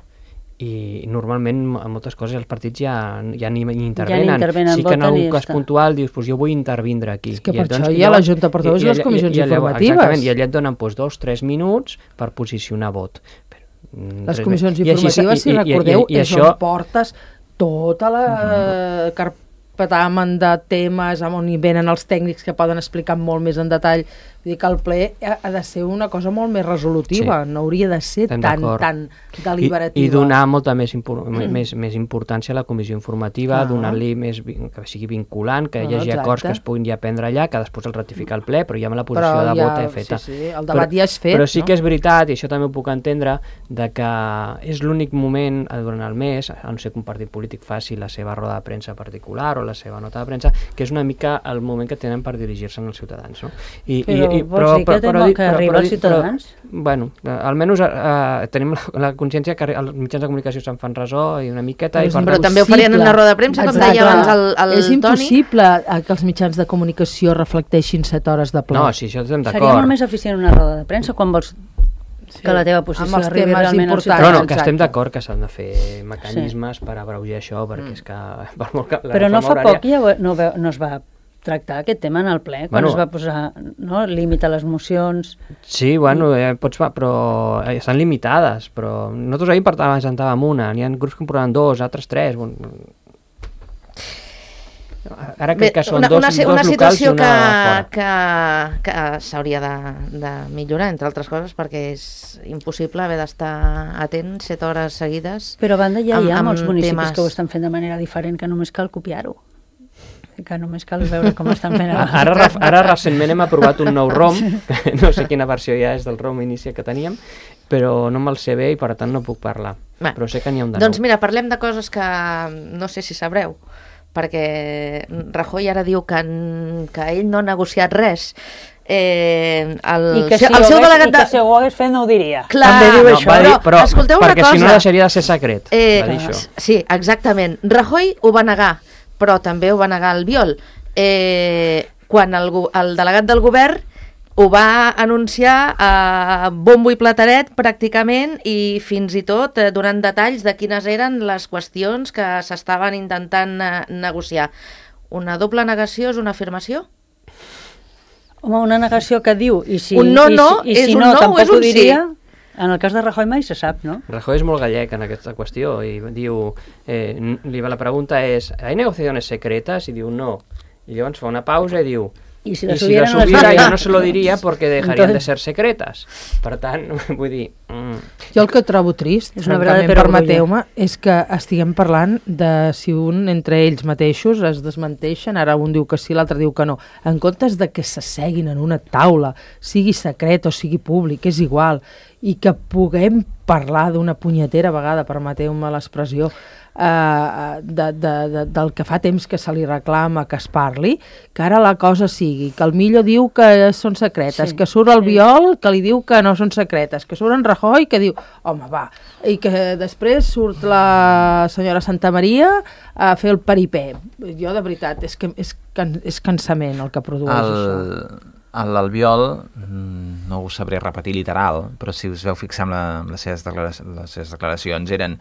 i normalment en moltes coses els partits ja, ja ni, ni intervenen. intervenen, sí que en voten i algun ja cas està. puntual dius, pues jo vull intervindre aquí. És que I per doncs això que hi ha la llavors- junta portaveus i les comissions llavors- informatives. Exactament, i allà et donen pues, dos, tres minuts per posicionar vot. Però, mm, Les tres comissions mi- i així- informatives, si i- i- recordeu, i, i, i és això, on portes tota la uh, carpetamen de temes on hi venen els tècnics que poden explicar molt més en detall. Vull dir que el ple ha de ser una cosa molt més resolutiva, sí. no hauria de ser tan, tan deliberativa. I, i donar molta més, impor mm. més, més importància a la comissió informativa, ah. donar-li més, que sigui vinculant, que ah, hi hagi exacte. acords que es puguin ja prendre allà, que després el ratificar el ple, però ja amb la posició però de ja, vot és feta. Sí, sí, el debat però, ja és fet. Però sí no? que és veritat, i això també ho puc entendre, de que és l'únic moment durant el mes, a no ser que un partit polític faci la seva roda de premsa particular o la seva nota de premsa, que és una mica el moment que tenen per dirigir-se als ciutadans. No? I, però i, i, vols dir que, però, que arriba als ciutadans? Però, bueno, almenys eh, tenim la, la consciència que els mitjans de comunicació se'n fan ressò i una miqueta... Però, i per però també ho farien en una roda de premsa, com deia abans el, el és Toni. És impossible que els mitjans de comunicació reflecteixin set hores de ple. No, sí, això estem d'acord. Seria molt més eficient una roda de premsa quan vols sí, que la teva posició arribi realment al ciutadà. Però no, que estem d'acord que s'han de fer mecanismes sí. per abreujar això, perquè mm. és que... Per molt que però no fa horària... poc ja no, no es va tractar aquest tema en el ple, quan bueno, es va posar no, límit a les mocions... Sí, bueno, eh, pots, però eh, estan limitades, però nosaltres ahir presentàvem una, n'hi ha grups que en portaven dos, altres tres... Bueno, ara crec que són una, dos, una, dos una situació locals i una que, que, que s'hauria de, de millorar, entre altres coses, perquè és impossible haver d'estar atent set hores seguides. Però a banda ja hi ha molts municipis temes... que ho estan fent de manera diferent, que només cal copiar-ho. Que només cal veure com estan fent ara, ara, ara recentment hem aprovat un nou ROM, no sé quina versió ja és del ROM inici que teníem, però no me'l sé bé i per tant no puc parlar, Va. però sé que n'hi ha un de doncs nou. Mira, parlem de coses que no sé si sabreu, perquè Rajoy ara diu que, que ell no ha negociat res. Eh, el, I que si, el seu delegat de... I que si ho hagués fet no ho diria. Clar, també diu no, això. Dir, però, escolteu una perquè cosa. Si no deixaria de ser secret. Eh, va dir això. Sí, exactament. Rajoy ho va negar, però també ho va negar Albiol. Eh, quan el, el delegat del govern ho va anunciar a bombo i plateret pràcticament i fins i tot eh, donant detalls de quines eren les qüestions que s'estaven intentant eh, negociar. Una doble negació és una afirmació? Home, una negació que diu i si, un no, no, i si, i si és no, un no tampoc és un ho diria. Sí. En el cas de Rajoy mai se sap, no? Rajoy és molt gallec en aquesta qüestió i diu, eh, li, la pregunta és, ¿hay negociaciones secretas? I diu no. I llavors fa una pausa i diu, i si la si hubiera, no, hubiera yo no se lo diría porque dejarían Entonces... de ser secretas. Per tant, vull dir... Mm. Jo el que trobo trist, francament, permeteu-me, és que estiguem parlant de si un entre ells mateixos es desmenteixen, ara un diu que sí, l'altre diu que no. En comptes de que s'asseguin en una taula, sigui secret o sigui públic, és igual, i que puguem parlar d'una punyetera vegada, permeteu-me l'expressió, Uh, de, de, de, del que fa temps que se li reclama que es parli, que ara la cosa sigui que el Millo diu que són secretes, sí, que surt el Biol que li diu que no són secretes, que surt en Rajoy que diu, home va, i que després surt la senyora Santamaria a fer el paripé. Jo de veritat, és que és, can, és cansament el que produeix el... això. L'Albiol, no ho sabré repetir literal, però si us veu fixar en, la, en les, seves les seves declaracions, eren,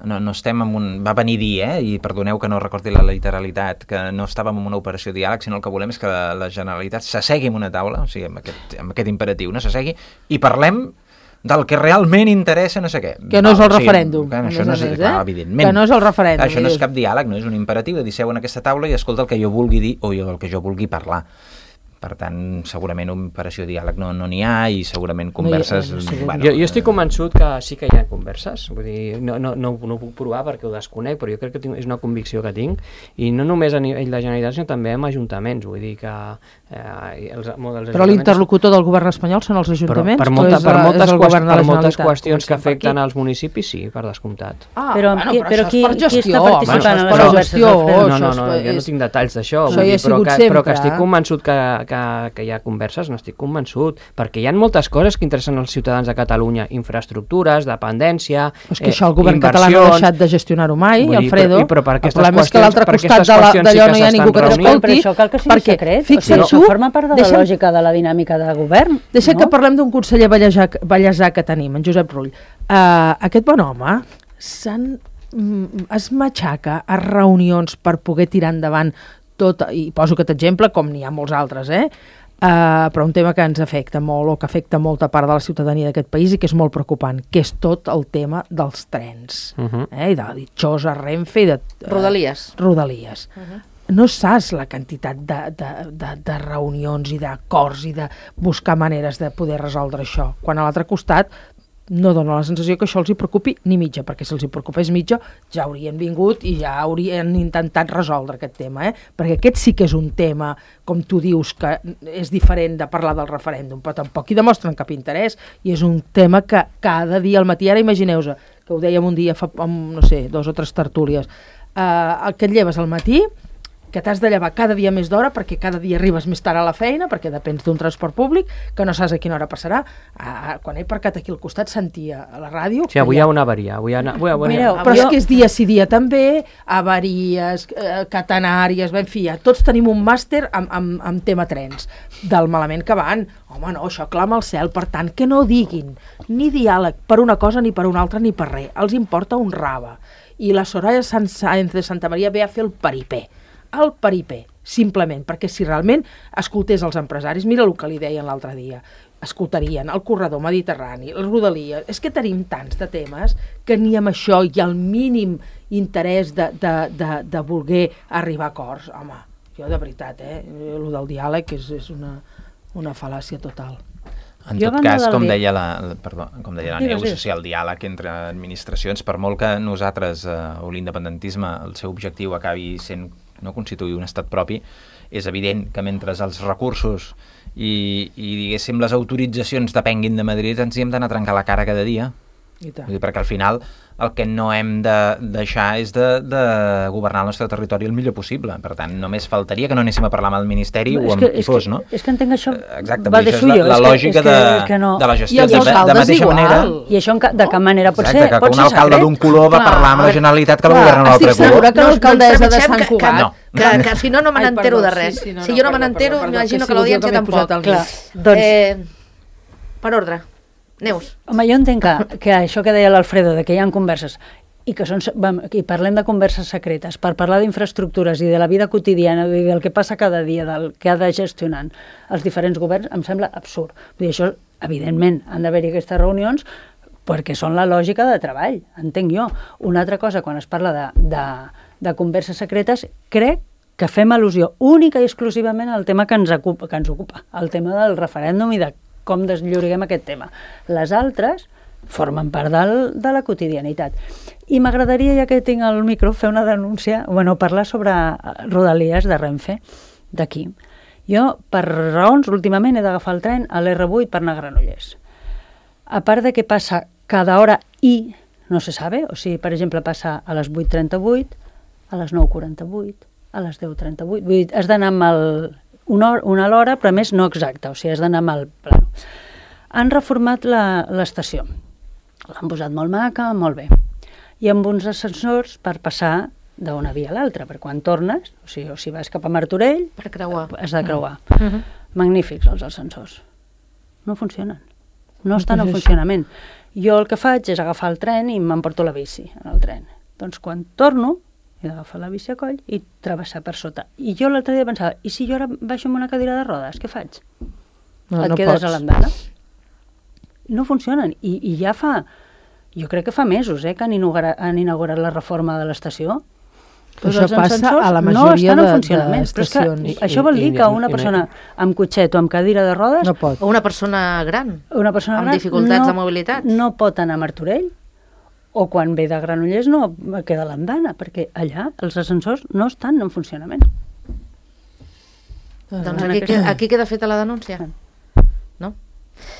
no, no estem en un... Va venir a dir, eh, i perdoneu que no recordi la literalitat, que no estàvem en una operació diàleg, sinó el que volem és que la, la Generalitat s'assegui en una taula, o sigui, amb aquest, amb aquest imperatiu, no s'assegui, i parlem del que realment interessa no sé què. Que no és el referèndum. Que això no és, clar, evidentment. Que no és el referèndum. Això no és cap diàleg, no és un imperatiu de dir seu en aquesta taula i escolta el que jo vulgui dir o el que jo vulgui parlar. Per tant, segurament operació diàleg no n'hi no ha i segurament converses... No, no, no, bueno, jo, jo estic convençut que sí que hi ha converses, vull dir, no, no, no, no ho puc provar perquè ho desconec, però jo crec que tinc, és una convicció que tinc, i no només a nivell de Generalitat, sinó també amb ajuntaments, vull dir que... Eh, els, els però l'interlocutor del govern espanyol són els ajuntaments? Per, per, molta, per, moltes, qüest, per moltes qüestions que afecten als municipis, sí, per descomptat. Ah, però, bueno, qui, però, qui, per gestió, qui està participant bueno, a les gestió, no, no, no, jo no tinc detalls d'això, però, que, però que estic convençut que, que, que hi ha converses, n'estic convençut, perquè hi ha moltes coses que interessen als ciutadans de Catalunya, infraestructures, dependència, és que això el govern català no ha deixat de gestionar-ho mai, dir, Alfredo. Però, però el problema és que a l'altre costat d'allò no hi ha ningú que t'escolti. Però això cal que sigui secret, o sigui, això forma part de la lògica de la dinàmica de govern. Deixa que parlem d'un conseller ballesà que tenim, en Josep Rull. Aquest bon home es matxaca a reunions per poder tirar endavant tot, i poso aquest exemple com n'hi ha molts altres, eh? Uh, però un tema que ens afecta molt o que afecta molta part de la ciutadania d'aquest país i que és molt preocupant, que és tot el tema dels trens, uh-huh. eh? I de la ditxosa Renfe i de... Uh, Rodalies. Rodalies. Uh-huh. no saps la quantitat de, de, de, de reunions i d'acords i de buscar maneres de poder resoldre això, quan a l'altre costat no dona la sensació que això els hi preocupi ni mitja, perquè si els hi preocupés mitja ja haurien vingut i ja haurien intentat resoldre aquest tema, eh? Perquè aquest sí que és un tema, com tu dius, que és diferent de parlar del referèndum, però tampoc hi demostren cap interès, i és un tema que cada dia al matí, ara imagineu-vos, que ho dèiem un dia fa, no sé, dos o tres tertúlies, eh, que et lleves al matí, que t'has de llevar cada dia més d'hora perquè cada dia arribes més tard a la feina, perquè depens d'un transport públic, que no saps a quina hora passarà. Ah, quan he aparcat aquí al costat sentia a la ràdio... Sí, avui hi ha una avaria. Avui hi ha una... avui, avui, Mireu, però és que és dia sí dia també, avaries, eh, catenàries, en fi, ja, tots tenim un màster amb, amb, amb tema trens, del malament que van. Home, no, això clama al cel, per tant, que no diguin ni diàleg per una cosa ni per una altra ni per res. Els importa un rave. I la Soraya Sáenz de Santa Maria ve a fer el paripé. El paripé, simplement, perquè si realment escoltés els empresaris, mira el que li deien l'altre dia, escoltarien el corredor mediterrani, el Rodalies, és que tenim tants de temes que ni amb això hi ha el mínim interès de, de, de, de voler arribar a acords. Home, jo de veritat, eh, el del diàleg és, és una, una fal·làcia total. En tot cas, com deia la, perdó, com deia la Neus, o sigui, el diàleg entre administracions, per molt que nosaltres, eh, o l'independentisme, el seu objectiu acabi sent no constituir un estat propi, és evident que mentre els recursos i, i diguéssim, les autoritzacions depenguin de Madrid, ens hi hem d'anar a trencar la cara cada dia. I tant. Perquè al final el que no hem de deixar és de, de governar el nostre territori el millor possible. Per tant, només faltaria que no anéssim a parlar amb el Ministeri no, o amb que, qui fos, que, no? És que entenc això exacte, va de suyo. La, la lògica que, de, que no. de la gestió. De, de mateixa igual. manera... I això de cap manera pot exacte, ser que, pot que un ser alcalde d'un color va parlar amb la Generalitat que va governar un altre color. Estic segura que No, l'alcaldessa no de ens Sant que- Cugat... que- Que, que si no, no me Ai, n'entero perdó, de res. sí, sí, no, si no, jo no me perdó, n'entero, perdó, m'imagino que que l'audiència sí, tampoc. el Clar, doncs... Eh, per ordre. Neus. Home, jo entenc que, que això que deia l'Alfredo, de que hi ha converses, i que són, i parlem de converses secretes, per parlar d'infraestructures i de la vida quotidiana, i del que passa cada dia, del que ha de gestionar els diferents governs, em sembla absurd. Vull dir, això, evidentment, han d'haver-hi aquestes reunions perquè són la lògica de treball, entenc jo. Una altra cosa, quan es parla de, de, de converses secretes, crec que fem al·lusió única i exclusivament al tema que ens ocupa, que ens ocupa, el tema del referèndum i de com deslloriguem aquest tema. Les altres formen part del, de la quotidianitat. I m'agradaria, ja que tinc el micro, fer una denúncia, bueno, parlar sobre Rodalies de Renfe, d'aquí. Jo, per raons, últimament he d'agafar el tren a l'erre vuit per anar a Granollers. A part de que passa cada hora i no se sabe, o sigui, per exemple, passa a les vuit trenta-vuit, a les nou quaranta-vuit, a les deu trenta-vuit, vull dir, has d'anar amb el, una, hora, una l'hora, però a més no exacta, o sigui, has d'anar amb el plano. Han reformat l'estació, l'han posat molt maca, molt bé, i amb uns ascensors per passar d'una via a l'altra, per quan tornes, o sigui, o si vas cap a Martorell, per creuar. Has de creuar. Uh -huh. Magnífics els ascensors. No funcionen. No estan en funcionament. Jo el que faig és agafar el tren i m'emporto la bici en el tren. Doncs quan torno, he d'agafar la bici a coll i travessar per sota. I jo l'altre dia pensava, i si jo ara baixo amb una cadira de rodes, què faig? No, Et no quedes pots. a l'andana? No funcionen. I, I ja fa, jo crec que fa mesos eh, que han inaugurat, han inaugurat la reforma de l'estació. Però això passa a la majoria no de, funcionament. de Però és estacions. que això vol dir que una persona amb cotxet o amb cadira de rodes, No pot. O una persona gran, una persona amb gran dificultats no, de mobilitat. no pot anar a Martorell, o quan ve de Granollers no queda a l'andana, perquè allà els ascensors no estan en funcionament. Doncs en aquí, aquest- queda, aquí queda feta la denúncia. No?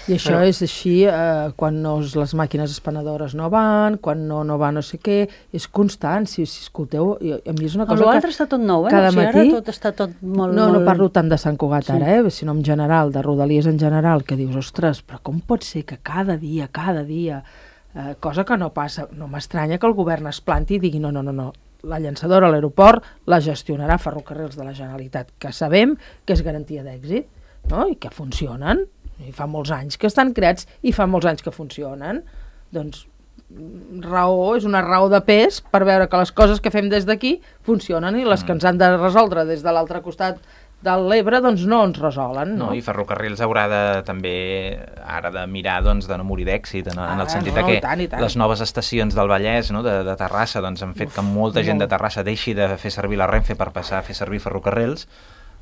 I això és així eh, quan no, les màquines espanadores no van, quan no, no va no sé què, és constant, si, si escolteu, i, a mi és una cosa que... L'altre està tot nou, eh? cada o sigui, matí... ara tot està tot molt... No, molt... no parlo tant de Sant Cugat Sí. ara, eh, sinó en general, de Rodalies en general, que dius, ostres, però com pot ser que cada dia, cada dia, eh, cosa que no passa, no m'estranya que el govern es planti i digui, no, no, no, no, la llançadora a l'aeroport la gestionarà Ferrocarrils de la Generalitat, que sabem que és garantia d'èxit, no? I que funcionen, i fa molts anys que estan creats i fa molts anys que funcionen, doncs raó, és una raó de pes per veure que les coses que fem des d'aquí funcionen i les que ens han de resoldre des de l'altre costat de l'Ebre doncs no ens resolen. No, no i Ferrocarrils haurà de, també ara de mirar doncs, de no morir d'èxit, en, ah, en el sentit no, que tant, tant. les noves estacions del Vallès, no, de, de Terrassa, doncs, han fet Uf, que molta gent de Terrassa deixi de fer servir la Renfe per passar a fer servir ferrocarrils.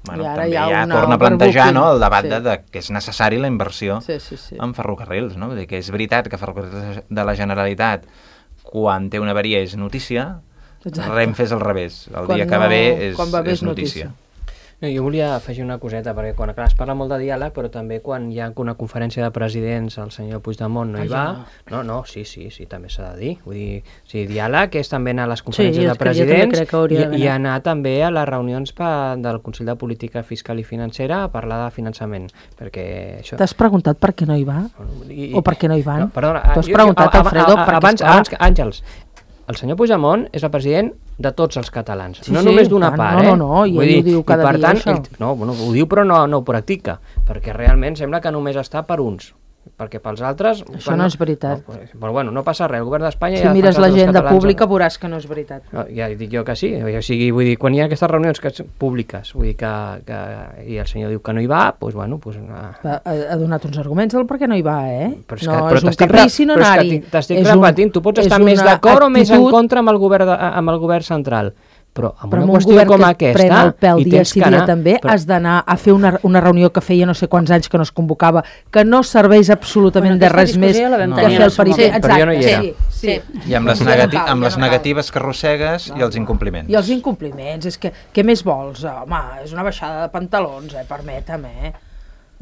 Bueno, també ja torna a plantejar, no, el debat sí. de, de que és necessari la inversió sí, sí, sí. en ferrocarrils. No? Vull dir que és veritat que Ferrocarrils de la Generalitat, quan té una avaria és notícia, Exacte. Renfe és al revés. El quan dia que no, va bé és, va bé és notícia. notícia. No, jo volia afegir una coseta, perquè quan clar, es parla molt de diàleg, però també quan hi ha una conferència de presidents, el senyor Puigdemont no hi va... No, no, sí, sí, sí, també s'ha de dir. Vull dir, sí, diàleg és també anar a les conferències sí, de presidents i, i anar també a les reunions pa, del Consell de Política Fiscal i Financera a parlar de finançament, perquè això... T'has preguntat per què no hi va? I, o per què no hi van? No, perdona, T'has preguntat, Alfredo, perquè abans, abans, Àngels, el senyor Puigdemont és el president de tots els catalans, sí, no sí, només d'una part, no, eh? No, no, i ell dir, ho diu cada per dia, tant, això. Ell, no, bueno, ho diu però no, no ho practica, perquè realment sembla que només està per uns, perquè pels altres... Això no, no és veritat. No, però bueno, no passa res, el govern d'Espanya... Si ja mires l'agenda pública veuràs que no és veritat. No, ja dic jo que sí, o sigui, vull dir, quan hi ha aquestes reunions que públiques, vull dir que, que i el senyor diu que no hi va, doncs bueno... Pues, ha, ha donat uns arguments del per què no hi va, eh? Però és, no, que, però és un caprici no anar-hi. T'estic repetint, tu pots estar més d'acord o més en contra amb el govern, de, amb el govern central, però amb però una amb qüestió com que aquesta pren el pèl i dia tens sí que dia anar, també però... has d'anar a fer una, una reunió que feia no sé quants anys que no es convocava, que no serveix absolutament bueno, de res més no. que fer el perifer. Sí, però jo no hi era. Sí, sí. I amb les, negati amb les negatives que arrossegues no. i els incompliments. I els incompliments, és que què més vols? Home, és una baixada de pantalons, eh? Permetem, eh?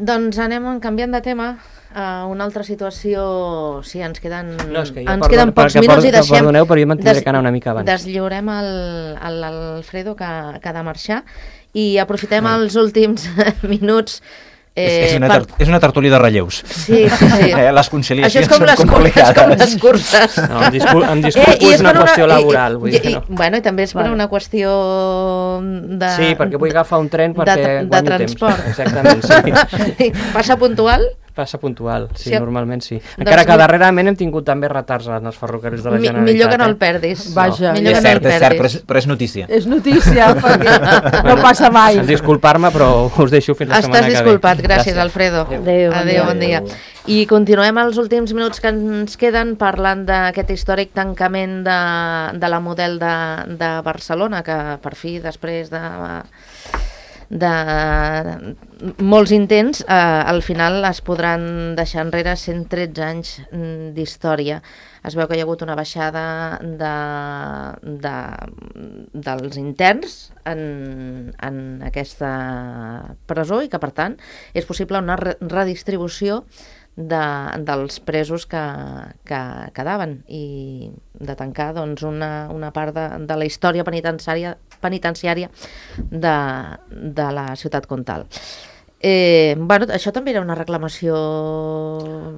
Doncs anem canviant de tema a una altra situació, sí, ens queden, no, és que ens perdon, queden pocs minuts i deixem... Perdoneu, però jo me'n tindré que anar una mica abans. Deslliurem l'Alfredo, que, que ha de marxar, i aprofitem no. els últims minuts... Eh, és, és, una per... és una tertúlia de relleus. Sí, sí, sí. Eh, les conciliacions Això és com són les complicades. Com les curses. No, em discul em disculpo, eh, és una qüestió una... laboral. Vull I, dir, i, no. Bueno, i també és per una qüestió de... Sí, perquè vull agafar un tren perquè de, de, de transport. Temps. Exactament, sí. Passa puntual? Passa puntual, sí, sí, normalment sí. Doncs encara que darrerament hem tingut també retards en els ferrocarrils de la Generalitat. Millor que no el perdis. Eh? Vaja. No. És cert, és cert, però és, però és notícia. És notícia, perquè no passa mai. Disculpar-me, però us deixo fins la Estàs setmana que ve. Estàs disculpat, gràcies, gràcies. Alfredo. Adéu, Adéu, bon dia. Adéu. I continuem els últims minuts que ens queden parlant d'aquest històric tancament de, de la model de, de Barcelona, que per fi, després de... de molts intents, eh, al final es podran deixar enrere cent tretze anys d'història. Es veu que hi ha hagut una baixada de, de, dels interns en, en aquesta presó i que, per tant, és possible una re redistribució de, dels presos que, que quedaven i de tancar doncs, una, una part de, de la història penitenciària, penitenciària de, de la ciutat comtal. Eh, bueno, això també era una reclamació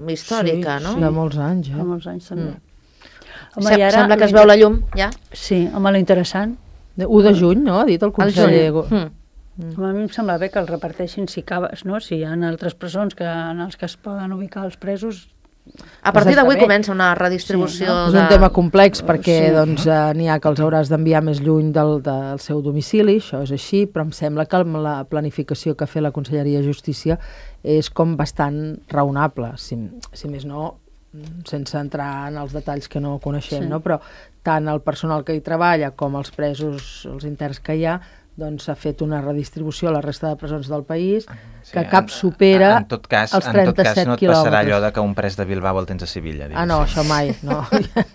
històrica, sí, no? Sí, de molts anys, eh? De molts anys, també. Mm. Home, Sem sembla que es veu la llum, ja? Sí, home, l'interessant. u de juny, no?, ha dit el conseller. El juny. Mm. Mm. A mi em sembla bé que el reparteixin si caves, no? Si hi ha altres presons que, en els que es poden ubicar els presos. A partir d'avui comença una redistribució. Sí, no? de... És un tema complex perquè sí. doncs, eh, n'hi ha que els hauràs d'enviar més lluny del, del seu domicili, això és així, però em sembla que la planificació que ha fet la Conselleria de Justícia és com bastant raonable, si, si més no, sense entrar en els detalls que no coneixem, sí. no? Però tant el personal que hi treballa com els presos, els interns que hi ha, doncs s'ha fet una redistribució a la resta de presons del país sí, que cap supera en, en tot cas, els trenta-set quilòmetres. En tot cas no et passarà allò de que un pres de Bilbao el tens a Sevilla. Ah, no, això mai, no.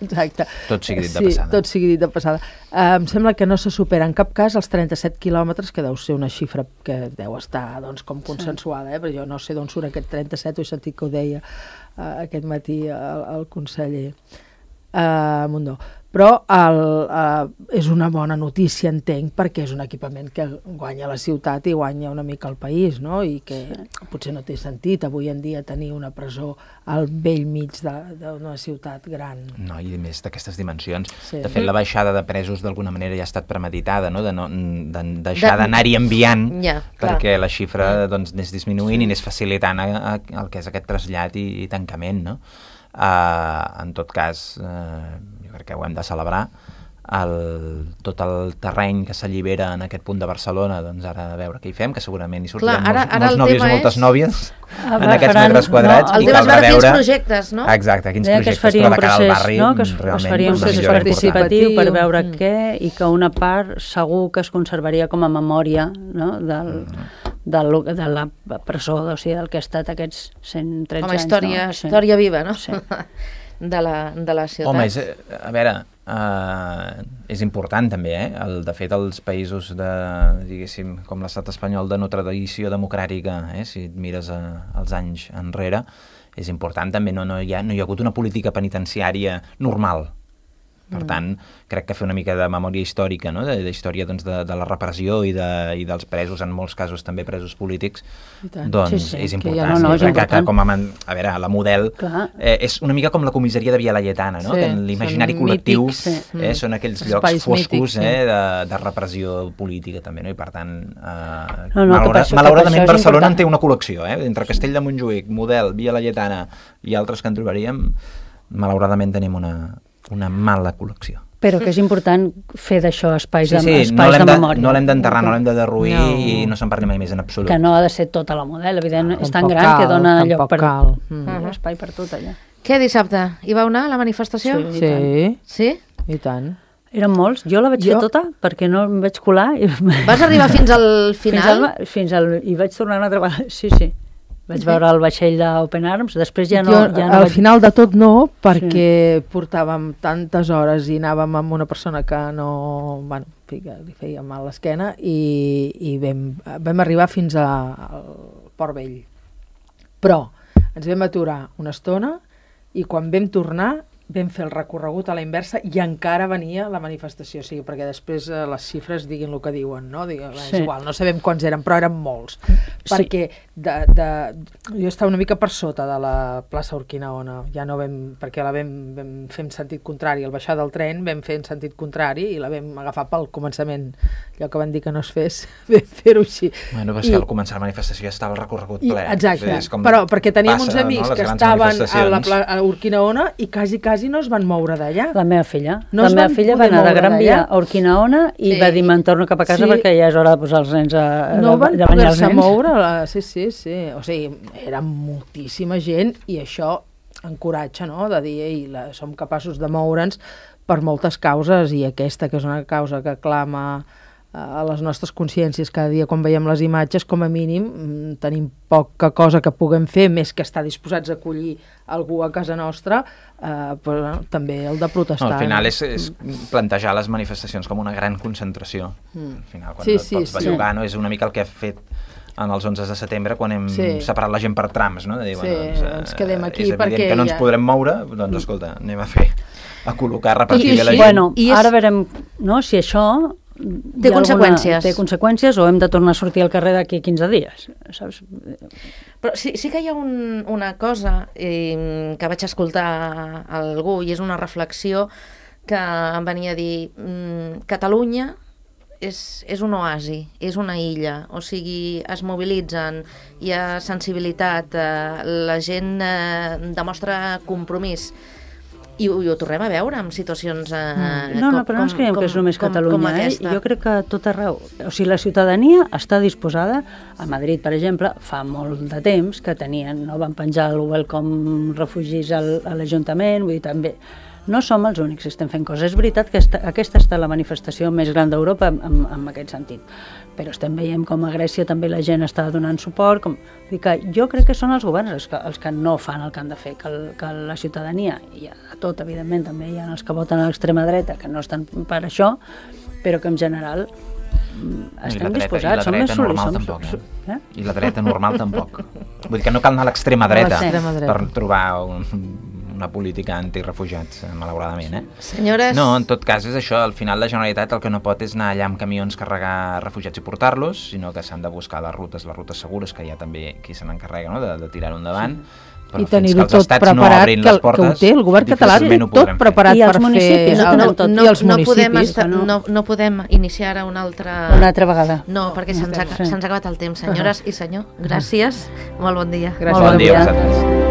Exacte. Tot sigui dit de sí, passada. tot sigui dit de passada. Uh, em sembla que no se supera en cap cas els trenta-set quilòmetres, que deu ser una xifra que deu estar doncs, com consensuada, eh? Perquè jo no sé d'on surt aquest trenta-set, ho he sentit que ho deia uh, aquest matí el, el conseller uh, Mundó. Però el, uh, és una bona notícia, entenc, perquè és un equipament que guanya la ciutat i guanya una mica el país, no? I que sí. potser no té sentit avui en dia tenir una presó al vell mig d'una ciutat gran. No, i més d'aquestes dimensions. Sí. De fet, la baixada de presos d'alguna manera ja ha estat premeditada, no? De, no, de deixar d'anar-hi enviant ja, perquè la xifra doncs, anés disminuint sí. i anés facilitant a, a, el que és aquest trasllat i, i tancament, no? Uh, en tot cas, uh, jo crec que ho hem de celebrar. el, tot el terreny que s'allibera en aquest punt de Barcelona, doncs ara a veure què hi fem, que segurament hi sortiran Clar, ara, molts, ara molts nòvios i moltes és... nòvies Ah, en aquests faran, metres quadrats. No, el i tema és caldrà veure quins veure... projectes, no? Exacte, quins Deia projectes, que es faria però un de cara al procés, barri, no? que es, es realment faria un una procés millora participatiu per veure Mm. què, i que una part segur que es conservaria com a memòria, no? del, del, de la presó, o sigui, del que ha estat aquests cent tretze Com a història, anys. No? història viva, no? Sí. De la, de la ciutat. Home, és, a veure, uh, és important també, eh? El, de fet, els països de, diguéssim, com l'estat espanyol de no tradició democràtica, eh? Si et mires a, als anys enrere, és important també, no, no, hi ha, no hi ha hagut una política penitenciària normal. Per tant, crec que fer una mica de memòria històrica, no? de, de història doncs, de, de la repressió i, de, i dels presos, en molts casos també presos polítics, doncs Sí, sí, és que important. ja no, no, és crec que, que important. com a, man- a veure, la model eh, és una mica com la comissaria de Via Laietana, no? Sí, que en l'imaginari són col·lectiu mítics, eh, són aquells Espais llocs foscos mítics, sí. eh, de, de repressió política també, no? I per tant, eh, No, no, que malaura, per això- que malauradament per això és Barcelona en important. té una col·lecció, eh? Entre Castell de Montjuïc, Model, Via Laietana i altres que en trobaríem, malauradament tenim una, una mala col·lecció. Però que és important fer d'això espais, Sí, de, sí, espais no l'hem de de, memòria. no l'hem d'enterrar, no l'hem de derruir No. i no se'n parli mai més en absolut. Que no ha de ser tota la model, evidentment, és tan Tampoc gran que cal, dona lloc tampoc per... cal. Mm. Hi ha espai per tot allà. Què dissabte? Hi vau anar a la manifestació? Sí. Sí, Sí? i tant. Eren molts, jo la vaig Jo- fer tota perquè no em vaig colar i... Vas arribar fins al Fins final? al, fins al, i vaig tornar una altra vegada, sí, sí. Vaig veure el vaixell d'Open Arms, després ja no... jo, ja no al vaig... final de tot no, perquè portàvem tantes hores i anàvem amb una persona que no... Bueno, en fi, que li feia mal l'esquena i, i vam, vam arribar fins a, al Port Vell. Però ens vam aturar una estona i quan vam tornar vam fer el recorregut a la inversa i encara venia la manifestació, o sigui, perquè després eh, les xifres diguin el que diuen, no? Diguin, Sí. és igual, no sabem quants eren, però eren molts. Sí. Perquè de, de, jo estava una mica per sota de la plaça Urquinaona, ja no vam, perquè la vam, vam fer en sentit contrari, al baixar del tren vam fer en sentit contrari i la vam agafar pel començament, allò que van dir que no es fes, vam fer-ho així. Bueno, però és que al començar la manifestació ja estava el recorregut I, ple. exacte, És com però perquè teníem passa, uns amics no? Les que grans estaven a la manifestacions. pla- a Urquinaona i quasi, quasi no es van moure d'allà. La meva filla. No la es meva van filla va poder anar de moure Gran Via d'allà. a Urquinaona i Sí. va dir me'n torno cap a casa Sí. perquè ja és hora de posar els nens a, No de, van de banyar els poder-se nens. moure, la, sí, sí, sí. O sigui, era moltíssima gent i això encoratja, no?, de dir, ei, la, som capaços de moure'ns per moltes causes i aquesta, que és una causa que clama a les nostres consciències cada dia quan veiem les imatges, com a mínim mm, tenim poca cosa que puguem fer més que estar disposats a acollir algú a casa nostra, eh, però bueno, també el de protestar. No, al final és, és plantejar les manifestacions com una gran concentració. Mm. Al final, quan Sí, et sí, pots sí. bellugar, no? És una mica el que ha fet en els onze de setembre quan hem Sí. separat la gent per trams, no? De dir, Sí, bueno, ens quedem aquí és evident perquè que no ens ja- podrem moure, doncs escolta, anem a fer, a col·locar, a repartir I- bé la i- gent. Bueno, I és- ara verem no, si això... Té hi ha conseqüències. Alguna, té conseqüències o hem de tornar a sortir al carrer d'aquí quinze dies, saps? Però sí, sí que hi ha un, una cosa eh, que vaig escoltar a algú i és una reflexió que em venia a dir mm, Catalunya és, és un oasi, és una illa, o sigui, es mobilitzen, hi ha sensibilitat, eh, la gent eh, demostra compromís. I ho, i ho tornem a veure en situacions eh, No, no, però no ens creiem que és només Catalunya, eh? Jo crec que a tot arreu, o sigui, la ciutadania està disposada, a Madrid, per exemple, fa molt de temps que tenien, no van penjar el Welcome Refugis al, a l'Ajuntament, vull dir, també, no som els únics que estem fent coses. És veritat que esta, aquesta està la manifestació més gran d'Europa en, en, en aquest sentit, però estem veient com a Grècia també la gent està donant suport, com... Vull dir que jo crec que són els governs els que, els que no fan el que han de fer, que, el, que la ciutadania, i hi ha de tot, evidentment, també hi ha els que voten a l'extrema dreta, que no estan per això, però que en general mm, I estem la dreta, disposats, i la som dreta més soli- normal som- tampoc, eh? eh? I la dreta normal tampoc. Vull dir que no cal anar a l'extrema dreta, l'extrema dreta. per trobar un, una política antirefugiats, malauradament, eh? Senyores... No, en tot cas és això, al final la Generalitat el que no pot és anar allà amb camions carregar refugiats i portar-los, sinó que s'han de buscar les rutes, les rutes segures, que hi ha també qui se n'encarrega, no?, de, de tirar-ho endavant. Sí. Però I tenir-ho fins que els tot estats preparat, no obrin que, les que portes, ho té, el govern català té difícilment ho tot podrem fer. preparat I els per municipis, fer... no, el- no, tot. no, I els no, podem municipis. estar, no. no, no podem iniciar ara una altra... Una altra vegada. No, perquè se'ns ha, Sí. se'ns ha acabat el temps. Senyores i senyor, gràcies. Molt bon dia. Gràcies Molt Bon bon dia a dia. vosaltres.